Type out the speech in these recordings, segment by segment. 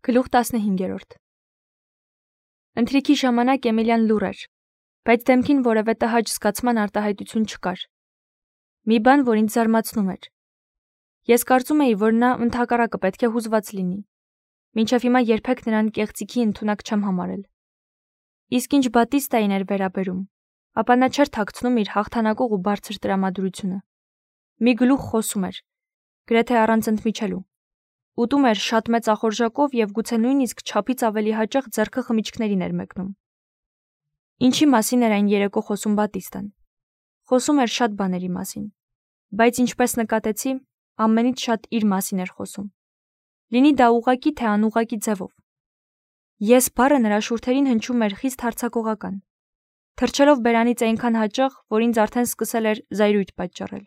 Գլուխ 15-րդ Ընթրիքի ժամանակ Էմիլիան լուռ էր, բայց դեմքին որևէ տհաճ զգացման արտահայտություն չկար։ Մի բան, որ ինձ զարմացնում էր։ Ես կարծում էի, որ նա ընդհակառակը պետք է հուզված լինի։ Մինչև հիմա երբեք նրան կեղծիքի ընդունակ չեմ համարել։ Իսկ ինչ Բատիստային էր վերաբերում, ապա նա չէր թաքցնում իր հաղթանակող ու բարձր տրամադրությունը։ Մի գլուխ խոսում էր, գրեթե առանց ընդմիջելու։ Ուտում էր շատ մեծ ախորժակով և գուցե նույնիսկ չափից ավելի հաճախ ձեռքը խմիչքներին էր մեկնում։ Ինչի մասին էր այն երեկո խոսում Բատիստան։ Խոսում էր շատ բաների մասին, բայց ինչպես նկատեցի, ամենից շատ իր մասին էր խոսում։ Լինի դա ուղղակի թե անուղղակի ձևով։ Ես բառը նրա շուրթերին հնչում էր խիստ հարձակողական, թռչելով բերանից այնքան հաճախ, որ ինձ արդեն սկսել էր զայրույթ պատճառել։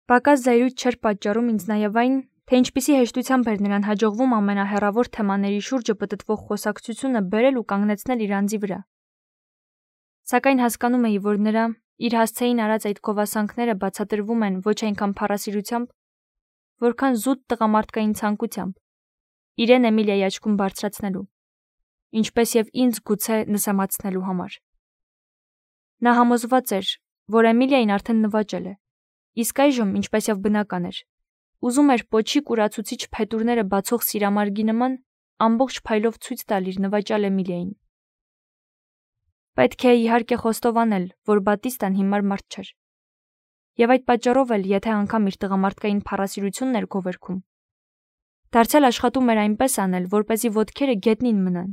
Պակաս զայրույթ չէր պատճառում ինձ նաև այն, թե ինչպիսի հեշտությամբ էր նրան հաջողվում ամենահեռավոր թեմաների շուրջը պտտվող խոսակցությունը բերել ու կանգնեցնել իր անձի վրա։ Սակայն հասկանում էի, որ նրա իր հասցեին արած այդ գովասանքները բացատրվում են ոչ այնքան փառասիրությամբ, որքան զուտ տղամարդկային ցանկությամբ, իրեն Էմիլիայի աչքում բարձրացնելու, ինչպես և ինձ գուցե նսեմացնելու համար։ Նա համոզված էր, որ Էմիլիային արդեն նվաճել է, իսկ այժմ, ինչպես և բնական էր, ուզում էր պոչի կուրացուցիչ փետուրները բացող սիրամարգի նման ամբողջ փայլով ցույց տալ իր նվաճյալ Էմիլիային։ Պետք է իհարկե խոստովանել, որ Բատիստան հիմար մարդ չէր։ Եվ այդ պատճառով էլ, եթե անգամ իր տղամարդկային փառասիրությունն էր գովերգում, դարձյալ աշխատում էր այնպես անել, որպեսզի ոտքերը գետնին մնան,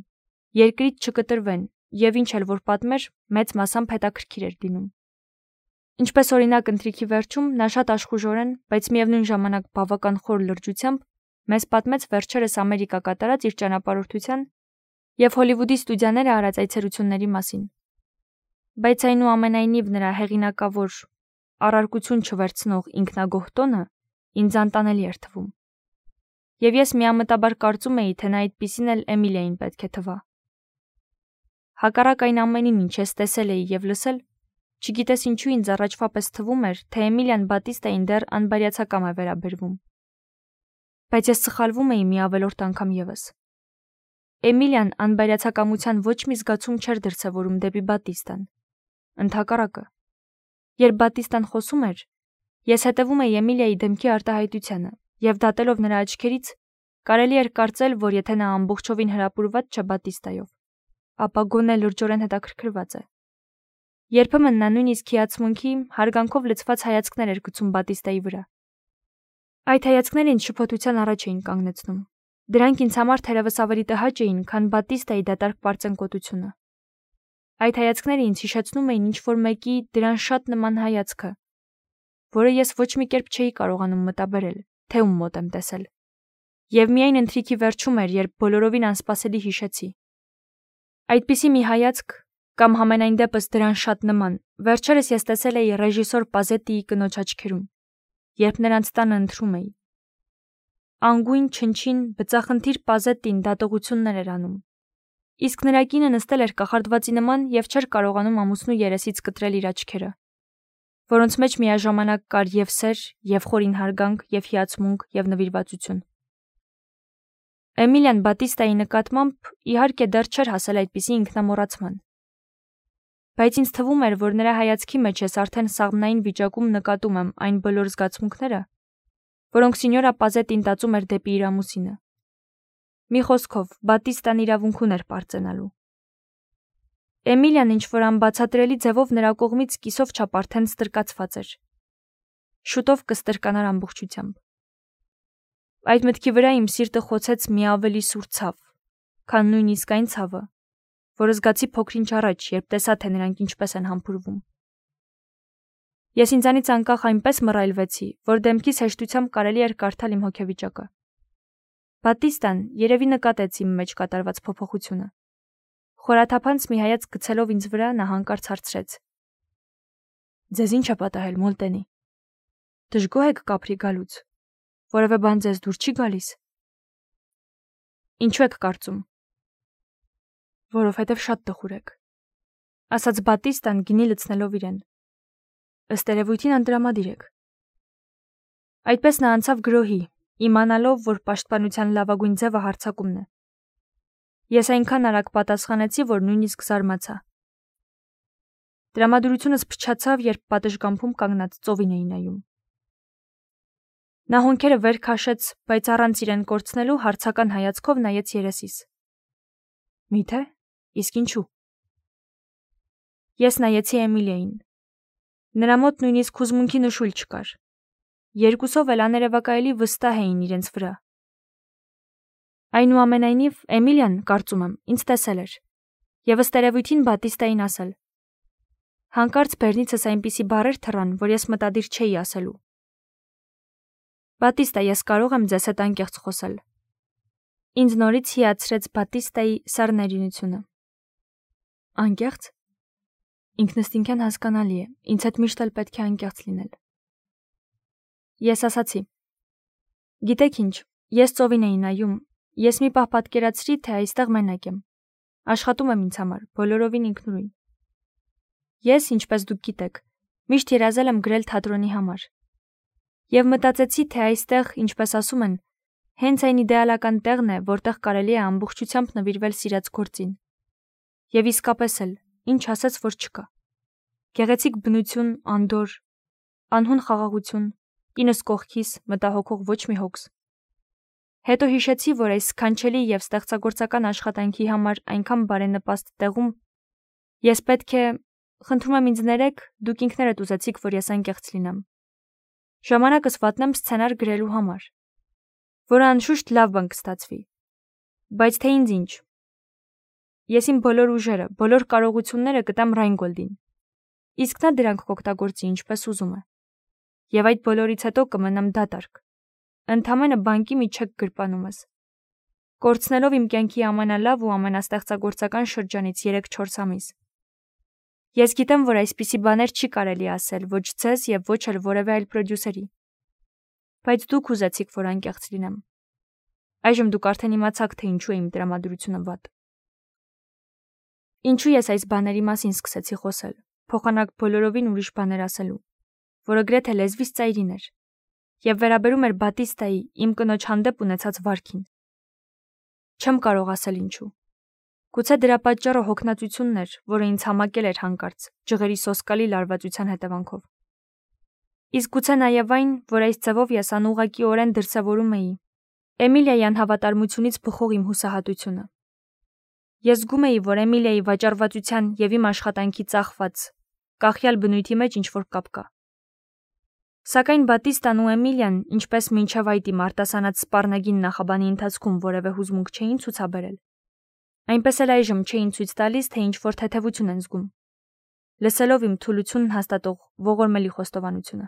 երկրից չկտրվեն, և ինչ էլ որ պատմեր, մեծ մասամբ հետաքրքիր էր լինում։ Ինչպես օրինակ ընթրիքի վերջում նա շատ աշխուժորեն, բայց միևնույն ժամանակ բավական խոր լրջությամբ մեզ պատմեց վերջերս Ամերիկա կատարած իր ճանապարհորդության և Հոլիվուդի ստուդիաները արած այցելությունների մասին։ Բայց այնուամենայնիվ նրա հեղինակավոր, առարկություն չվերցնող ինքնագոհ տոնը ինձ անտանելի էր թվում։ Եվ ես միամտաբար կարծում էի, թե նա այդպիսին էլ Էմիլիային պետք է թվա։ Հակառակ այն ամենին, ինչ ես տեսել էի և լսել, չգիտես ինչու ինձ առաջվա պես թվում էր, թե Էմիլիան Բատիստային դեռ անբարյացակամ է վերաբերվում։ Բայց ես սխալվում էի մի ավելորդ անգամ ևս։ Էմիլիան անբարյացակամության ոչ մի զգացում չէր դրսևորում դեպի Բատիստան։ Ընդհակառակը, երբ Բատիստան խոսում էր, ես հետևում էի Էմիլիայի դեմքի արտահայտությանը և դատելով նրա աչքերից, կարելի էր կարծել, որ եթե նա ամբողջովին հրապուրված չէ Բատիստայով, ապա գոնե լրջորեն հետաքրքրված է։ Երբեմն նա նույնիսկ հիացմունքի, հարգանքով լցված հայացքներ էր գցում Բատիստայի վրա։ Այդ հայացքները ինձ շփոթության առաջ էին կանգնեցնում։ Դրանք ինձ համար թերևս ավելի տհաճ էին, քան Բատիստայի դատարկ պարծենկոտությունը։ Այդ հայացքները ինձ հիշեցնում էին ինչ-որ մեկի դրան շատ նման հայացքը, որը ես ոչ մի կերպ չէի կարողանում մտաբերել, թե ում մոտ եմ տեսել։ Եվ միայն ընթրիքի վերջում էր, երբ բոլորովին անսպասելի հիշեցի։ Այդպիսի մի հայացք, կամ համենայն դեպս դրան շատ նման, վերջերս ես տեսել էի ռեժիսոր Պազետիի կնոջ աչքերում, երբ նրանց տանը ընթրում էի։ Անգույն, չնչին, բծախնդիր Պազետին դատողություններ էր անում, իսկ նրա կինը նստել էր կախարդվածի նման և չէր կարողանում ամուսնու երեսից կտրել իր աչքերը, որոնց մեջ միաժամանակ կար և սեր, և խորին հարգանք, և հիացմունք, և նվիրվածություն։ Էմիլիան Բատիստայի նկատմամբ իհարկե դեռ չէր հասել այդպիսի ինքնամոռացման։ Բայց ինձ թվում էր, որ նրա հայացքի մեջ ես արդեն սաղմնային վիճակում նկատում եմ այն բոլոր զգացմունքները, որոնք Սինյորա Պազետին տածում էր դեպի իր ամուսինը։ Մի խոսքով, Բատիստան իրավունք ուներ պարծենալու։ Էմիլիան ինչ-որ անբացատրելի ձևով նրա կողմից կիսով չափ արդեն ստրկացված էր։ Շուտով կստրկանար ամբողջությամբ։ Այդ մտքի վրա իմ սիրտը խոցեց մի ավելի սուր ցավ, քան նույնիսկ այն ցավը, որը զգացի փոքր-ինչ առաջ, երբ տեսա, թե նրանք ինչպես են համբուրվում։ Ես ինձանից անկախ այնպես մռայլվեցի, որ դեմքիս հեշտությամբ կարելի էր կարդալ իմ հոգեվիճակը։ Բատիստան երևի նկատեց իմ մեջ կատարված փոփոխությունը։ Խորաթափանց մի հայացք գցելով ինձ վրա, նա հանկարծ հարցրեց. «Ձեզ ինչ է պատահել, Մոլտենի։ Դժգոհ եք կապրի գալուց։ Որևէ բան ձեզ դուր չի գալիս»։ «Ինչու եք կարծում»։ «Որովհետև շատ տխուր եք», ասաց Բատիստան գինի լցնելով իրեն։ «Ըստ երևույթին անտրամադիր եք»։ Այդպես նա անցավ գրոհի, իմանալով, որ պաշտպանության լավագույն ձևը հարձակումն է։ Ես այնքան արագ պատասխանեցի, որ նույնիսկ զարմացա։ Տրամադրությունս փչացավ, երբ պատշգամբում կանգնած ծովին էի նայում։ Նա հոնքերը վեր քաշեց, բայց առանց իրեն կորցնելու հարցական հայացքով նայեց երեսիս։ Միթե՞, իսկ ինչու։ Ես նայեցի Էմիլիային։ Նրա մոտ նույնիսկ հուզմունքի նշույլ չկար։ Երկուսով էլ աներևակայելի վստահ էին իրենց վրա։ Այնուամենայնիվ, Էմիլիան, կարծում եմ, ինձ տեսել էր, եւ ըստ երևույթին Բատիստային ասել։ Հանկարծ բեռնիցս այնպիսի բառեր թռան, որ ես մտադիր չէի ասելու։ Բատիստա, ես կարող եմ ձեզ հետ անկեղծ խոսել։ Ինձ նորից հիացրեց Բատիստայի սառներյունությունը։ Անկեղծ։ Ինքնըստինքյան հասկանալի է, ինձ հետ միշտ էլ պետք է անկեղծ լինել։ Ես ասացի. Գիտեք ինչ, ես ծովին էի նայում, ես մի պահ պատկերացրի, թե այստեղ մենակ եմ։ Աշխատում եմ ինձ համար, բոլորովին ինքնուրույն։ Ես, ինչպես դուք գիտեք, միշտ երազել եմ գրել թատրոնի համար։ Եվ մտածեցի, թե այստեղ, ինչպես ասում են, հենց այն իդեալական տեղն է, որտեղ կարելի է ամբողջությամբ նվիրվել սիրած գործին։ Եվ իսկապես էլ, ինչ ասես, որ չկա։ Գեղեցիկ բնություն, անդոր, անհուն խաղաղություն, ինս կողքիս, մտահոգող ոչ մի հոգս։ Հետո հիշեցի, որ այս սքանչելի եւ ստեղծագործական աշխատանքի համար այնքան բարենպաստ տեղում ես պետք է, խնդրում եմ ինձ ներեք, դուք ինքներդ ուզեցիք, որ ես անկեղծ լինեմ։ Ժամանակս վատնեմ սցենար գրելու համար, որը անշուշտ լավ բան կստացվի։ Բայց թե ինձ ինչ։ Ես իմ բոլոր ուժերը, բոլոր կարողությունները կտամ Ռայնգոլդին։ Իսկ նա դրանք կօգտագործի ինչպես ուզում է։ Եվ այդ բոլորից հետո կմնամ դատարկ։ Ընդամենը բանկի մի չեք գրպանումս։ Կորցնելով իմ կյանքի ամենալավ ու ամենաստեղծագործական շրջանից 3-4 ամիս։ Ես գիտեմ, որ այսպիսի բաներ չի կարելի ասել ոչ ձեզ եւ ոչ էլ որևէ այլ պրոդյուսերի։ Բայց դուք ուզեցիք, որ անկեղծ լինեմ։ Այժմ դուք արդեն իմացաք, թե ինչու է իմ տրամադրությունը վատ։ Ինչու ես այս բաների մասին սկսեցի խոսել, փոխանակ բոլորովին ուրիշ բաներ ասելու, որը գրեթե լեզվից ծայրին էր, եւ վերաբերում էր Բատիստայի իմ կնոջ հանդեպ ունեցած վարքին։ Չեմ կարող ասել ինչու։ Գուցե դրա պատճառը հոգնածությունն էր, որը ինձ համակել էր հանկարծ, ջղերի սոսկալի լարվածության հետևանքով։ Իսկ գուցե նաև այն, որ այս ձևով ես անուղղակիորեն դրսևորում էի Էմիլիայի անհավատարմությունից բխող իմ հուսահատությունը։ Ես զգում էի, որ Էմիլիայի վաճառվածության եւ իմ աշխատանքի ծախված, կախյալ բնույթի մեջ ինչ-որ կապ կա։ Սակայն Բատիստան ու Էմիլիան, ինչպես մինչև այդ իմ արտասանած սպառնագին նախաբանի ընթացքում որևէ հուզմունք չէին ցուցաբերել, այնպես էլ այժմ չէին ցույց տալիս, թե ինչ-որ թեթևություն են զգում, լսելով իմ թուլությունն հաստատող ողորմելի խոստովանությունը։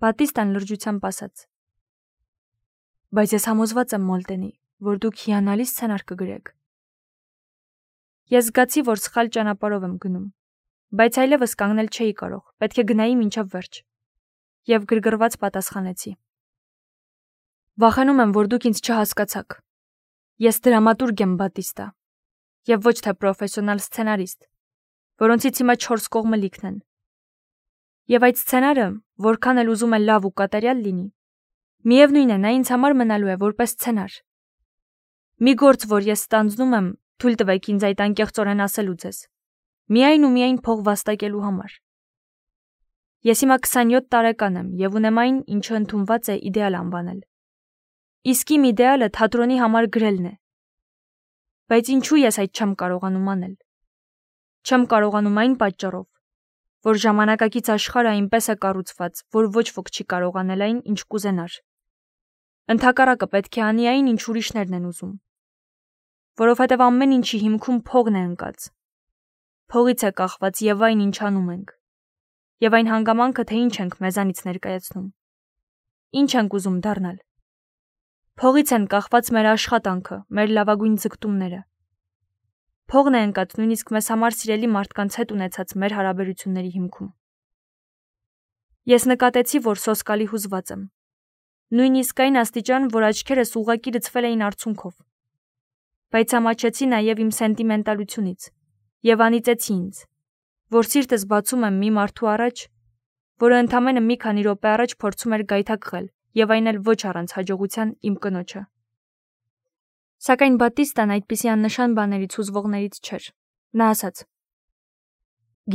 Բատիստան լրջությամբ ասաց. Բայց ես համոզված եմ, Մոլտենի, որ դուք հիանալի սցենար կգրեք։ Ես զգացի, որ սխալ ճանապարհով եմ գնում, բայց այլևս կանգնել չէի կարող, պետք է գնայի մինչև վերջ։ Եվ գրգռված պատասխանեցի. Վախենում եմ, որ դուք ինձ չհասկացաք։ Ես դրամատուրգ եմ, Բատիստա, եւ ոչ թե պրոֆեսիոնալ սցենարիստ, որոնցից հիմա 4 կողմը լիքն են։ Եվ այդ սցենարը, որքան էլ ուզում է լավ ու կատարյալ լինի, միևնույն է, նա ինձ համար մնալու է որպես սցենար։ Մի գործ, որ ես ստանձնում եմ, թույլ տվեք ինձ այդ անկեղծորեն ասելու ձեզ, միայն ու միայն փող վաստակելու համար։ Ես հիմա 27 տարեկան եմ եւ ունեմ այն, ինչը ընդունված է իդեալ անվանել։ Իսկ իմ իդեալը թատրոնի համար գրելն է։ Բայց ինչու ես այդ չեմ կարողանում անել։ Չեմ կարողանում այն պատճառով, որ ժամանակակից աշխարհը այնպես է կառուցված, որ ոչ ոք չի կարող անել այն, ինչ կուզենար։ Ընդհակառակը պետք է անի այն, ինչ ուրիշներն են ուզում։ Որովհետև ամեն ինչի հիմքում փողն է ընկած։ Փողից է կախված եւ այն, ինչ անում ենք։ Եվ այն հանգամանքը, թե ինչ ենք մեզանից ներկայացնում։ Ինչ ենք ուզում դառնալ։ Փողից են կախված մեր աշխատանքը, մեր լավագույն ձգտումները։ Փողն է ընկած նույնիսկ մեզ համար սիրելի մարդկանց հետ ունեցած մեր հարաբերությունների հիմքում։ Ես նկատեցի, որ սոսկալի հուզված եմ։ Նույնիսկ այն աստիճան, որ աչքերս ուղղակի լցվել էին արցունքով։ Բայց ամաչեցի նաև իմ սենտիմենտալությունից եւ անիծեցի ինձ, որ սիրտս բացում եմ մի մարդու առաջ, որը ընդամենը մի քանի րոպե առաջ փորձում էր գայթակղել եւ այն էլ ոչ առանց հաջողության իմ կնոջը։ Սակայն Բատիստան այդպիսի աննշան բաներից հուզվողներից չէր։ Նա ասաց.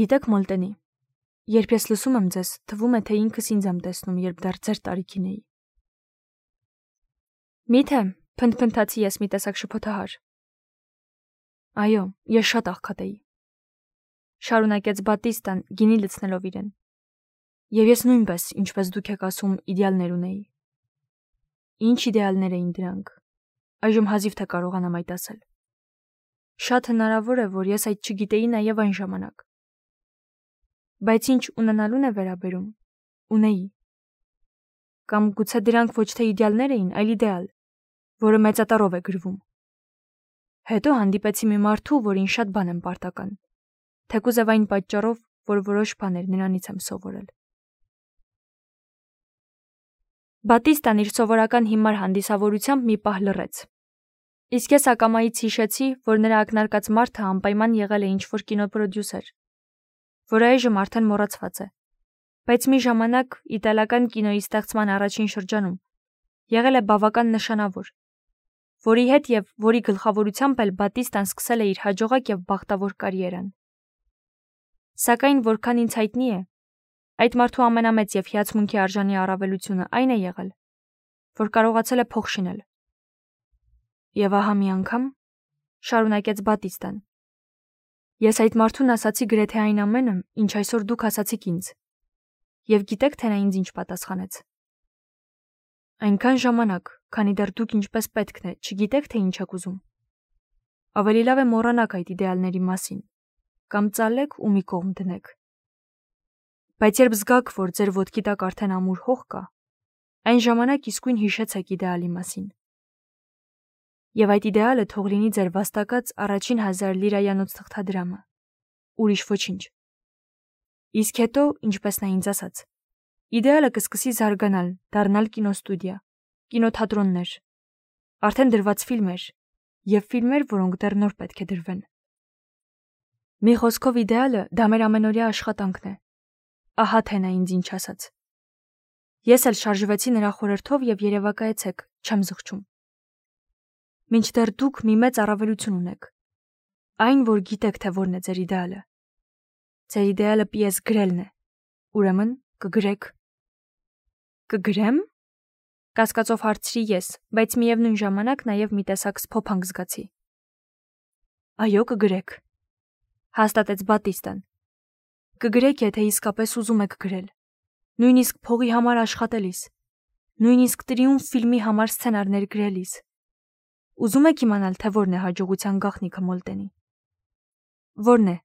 «Գիտեք, Մոլտենի, երբ ես լսում եմ ձեզ, թվում է, թե ինքս ինձ եմ տեսնում, երբ դեռ ձեր տարիքին էի»։ Միթե, փնթփնթացի ես մի տեսակ շփոթահար։ Այո, ես շատ աղքատ էի, շարունակեց Բատիստան, գինի լցնելով իրեն։ Եվ ես նույնպես, ինչպես դուք եք ասում, իդեալներ ունեի։ Ինչ իդեալներ էին դրանք։ Այժմ հազիվ թե կարողանամ այդ ասել։ Շատ հնարավոր է, որ ես այդ չգիտեի նաև այն ժամանակ։ Բայց ինչ ունենալուն է վերաբերում, ունեի։ Կամ գուցե դրանք ոչ թե իդեալներ էին, այլ իդեալ, որը մեծատառով է գրվում։ Հետո հանդիպեցի մի մարդու, որին շատ բան եմ պարտական, թեկուզև այն պատճառով, որ որոշ բաներ նրանից եմ սովորել։ Բատիստան իր սովորական հիմար հանդիսավորությամբ մի պահ լռեց։ Իսկ ես ակամայից հիշեցի, որ նրա ակնարկած մարդը անպայման եղել է ինչ-որ կինոպրոդյուսեր, որը այժմ արդեն մոռացված է, բայց մի ժամանակ իտալական կինոյի ստեղծման առաջին շրջանում եղել է բավական նշանավոր, որի հետ եւ որի գլխավորությամբ էլ Բատիստան սկսել է իր հաջողակ եւ բախտավոր կարիերան։ Սակայն որքան ինձ հայտնի է, այդ մարդու ամենամեծ եւ հիացմունքի արժանի առավելությունը այն է եղել, որ կարողացել է փող շինել։ Եվ ահա մի անգամ, շարունակեց Բատիստան, ես այդ մարդուն ասացի գրեթե այն ամենը, ինչ այսօր դուք ասացիք ինձ։ Եվ գիտեք, թե նա ինձ ինչ պատասխանեց։ Այնքան ժամանակ, քանի դեռ դուք ինչպես պետքն է, չգիտեք, թե ինչ եք ուզում։ Ավելի լավ է մոռանաք այդ իդեալների մասին, կամ ծալեք ու մի կողմ դնեք։ Բայց երբ զգաք, որ ձեր ոտքի տակ արդեն ամուր հող կա, այն ժամանակ իսկույն հիշեցեք իդեալի մասին։ Եվ այդ իդեալը թող լինի ձեր վաստակած առաջին 1000 լիրայանոց թղթադրամը, ուրիշ ոչինչ։ Իսկ հետո, ինչպես նա ինձ ասաց, իդեալը կսկսի զարգանալ, դառնալ կինոստուդիա, կինոթատրոններ, արդեն դրված ֆիլմեր եւ ֆիլմեր, որոնք դեռ նոր պետք է դրվեն։ Մի խոսքով իդեալը դա մեր ամենօրյա աշխատանքն է։ Ահա թե նա ինձ ինչ ասաց։ Ես էլ շարժվեցի նրա խորհրդով եւ երևակայեցեք, չեմ զղջում։ Մինչդեռ դուք մի մեծ առավելություն ունեք։ Այն, որ գիտեք, թե որն է ձեր իդեալը։ Ձեր իդեալը պիես գրելն է։ Ուրեմն կգրեք։ Կգրեմ։ Կասկածով հարցրի ես, բայց միևնույն ժամանակ նաև մի տեսակ սփոփանք զգացի։ Այո, կգրեք, հաստատեց Բատիստան։ Կգրեք, եթե իսկապես ուզում եք գրել, նույնիսկ փողի համար աշխատելիս, նույնիսկ Տրիումֆ ֆիլմի համար սցենարներ գրելիս։ Ուզում եք իմանալ, թե որն է հաջողության գաղտնիքը, Մոլտենի։ Որն է։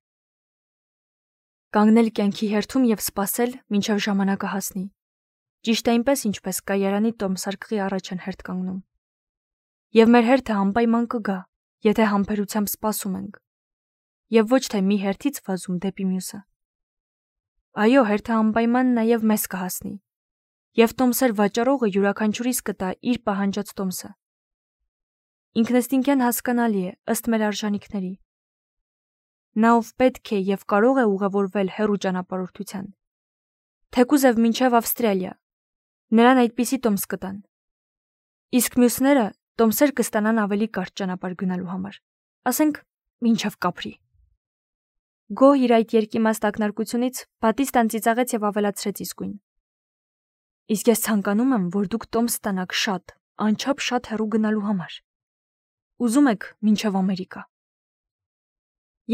Կանգնել կյանքի հերթում եւ սպասել, մինչեւ ժամանակը հասնի։ Ճիշտ այնպես, ինչպես կայարանի տոմսարկղի առաջ են հերթ կանգնում։ Եվ մեր հերթը անպայման կգա, եթե համբերությամբ սպասում ենք։ Եվ ոչ թե մի հերթից վազում դեպի մյուսը։ Այո, հերթը անպայման նաև մեզ կհասնի։ Եվ տոմսեր վաճառողը յուրաքանչյուրիս կտա իր պահանջած տոմսը։ Ինքնըստինքյան հասկանալի է, ըստ մեր արժանիքների։ Նա ով պետք է եւ կարող է ուղևորվել հեռու ճանապարհորդության, թեկուզև մինչև Ավստրալիա, նրան այդպիսի տոմս կտան։ Իսկ մյուսները տոմսեր կստանան ավելի կարճ ճանապարհ գնալու համար, ասենք մինչև Կապրի։ Գոհ իր այդ երկիմաստ ակնարկությունից Բատիստան ծիծաղեց եւ ավելացրեց իսկույն։ Իսկ ես ցանկանում եմ, որ դուք տոմս ստանաք շատ, անչափ շատ հեռու գնալու համար։ Ուզում եք մինչև Ամերիկա։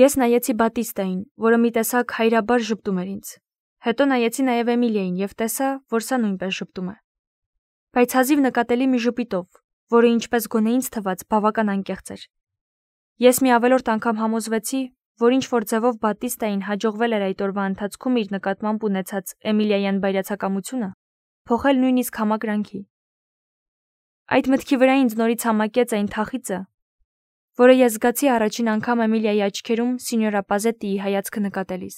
Ես նայեցի Բատիստային, որը մի տեսակ հայրաբար ժպտում էր ինձ։ Հետո նայեցի նաև Էմիլիային եւ տեսա, որ սա նույնպես ժպտում է։ Բայց հազիվ նկատելի մի ժպիտով, որը ինչպես գոնե ինձ թվաց բավական անկեղծ էր։ Ես մի ավելորդ անգամ համոզվեցի, որ ինչ որ ձևով Բատիստային հաջողվել էր այդ օրվա ընթացքում իր նկատմամբ ունեցած Էմիլիայան բայրացակամությունը փոխել նույնիսկ համակրանքի։ Այդ մտքի վրա ինձ նորից համակեց այն թախիծը, որը ես զգացի առաջին անգամ Էմիլիայի աչքերում սինյորա Պազետիի հայացքը նկատելիս։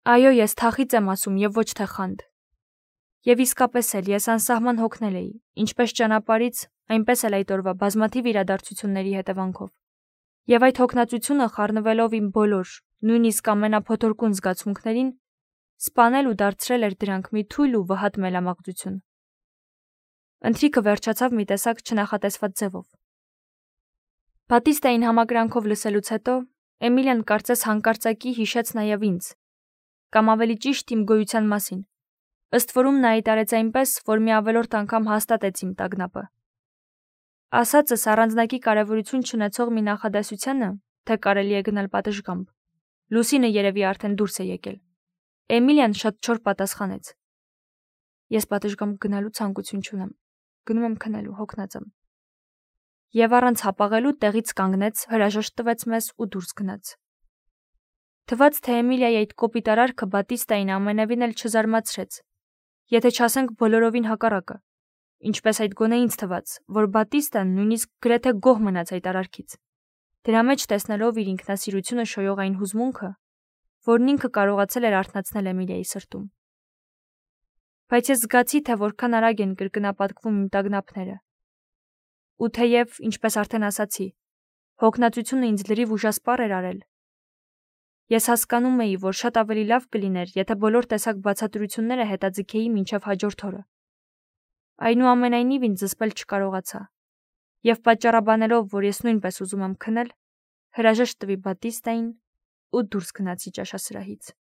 Այո, ես թախիծ եմ ասում եւ ոչ թե խանդ։ Եվ իսկապես էլ ես անսահման հոգնել էի, ինչպես ճանապարհից, այնպես էլ այդ օրվա բազմաթիվ իրադարձությունների հետևանքով։ Եվ այդ հոգնածությունը խառնվելով իմ բոլոր, նույնիսկ ամենափոթորկուն զգացմունքներին, սպանել ու դարձրել էր դրանք մի թույլ ու վհատ մելամաղձություն, Ընթրիքը վերջացավ մի տեսակ չնախատեսված ձևով։ Բատիստային համակրանքով լսելուց հետո Էմիլիան կարծես հանկարծակի հիշեց նաև ինձ, կամ ավելի ճիշտ իմ գոյության մասին։ Ըստ որում նա իտարեց այնպես, որ մի ավելորդ անգամ հաստատեց իմ տագնապը։ Ասածս առանձնակի կարևորություն չունեցող մի նախադասությանը, թե կարելի է գնալ պատշգամբ։ Լուսինը երևի արդեն դուրս է եկել։ Էմիլիան շատ չոր պատասխանեց. Ես պատշգամբ գնալու ցանկություն չունեմ։ Գնում եմ քնելու, հոգնած եմ։ Եվ առանց հապաղելու տեղից կանգնեց, հրաժեշտ տվեց մեզ ու դուրս գնաց։ Թվաց, թե Էմիլիայի այդ կոպիտ արարքը Բատիստային ամենևին էլ չզարմացրեց, եթե չասենք բոլորովին հակառակը, ինչպես այդ գոնե ինձ թվաց, որ Բատիստան նույնիսկ գրեթե գոհ մնաց այդ արարքից, դրա մեջ տեսնելով իր ինքնասիրությունը շոյող այն հուզմունքը, որն ինքը կարողացել էր արթնացնել Էմիլիայի սրտում։ Բայց ես զգացի, թե որքան արագ են կրկնապատկվում իմ տագնապները։ Ու թեև, ինչպես արդեն ասացի, հոգնածությունը ինձ լրիվ ուժասպառ էր արել, ես հասկանում էի, որ շատ ավելի լավ կլիներ, եթե բոլոր տեսակ բացատրությունները հետաձգեի մինչև հաջորդ օրը։ Այնուամենայնիվ ինձ զսպել չկարողացա, եւ պատճառաբանելով, որ ես նույնպես ուզում եմ քնել, հրաժեշտ տվի Բատիստային ու դուրս գնացի ճաշասրահից։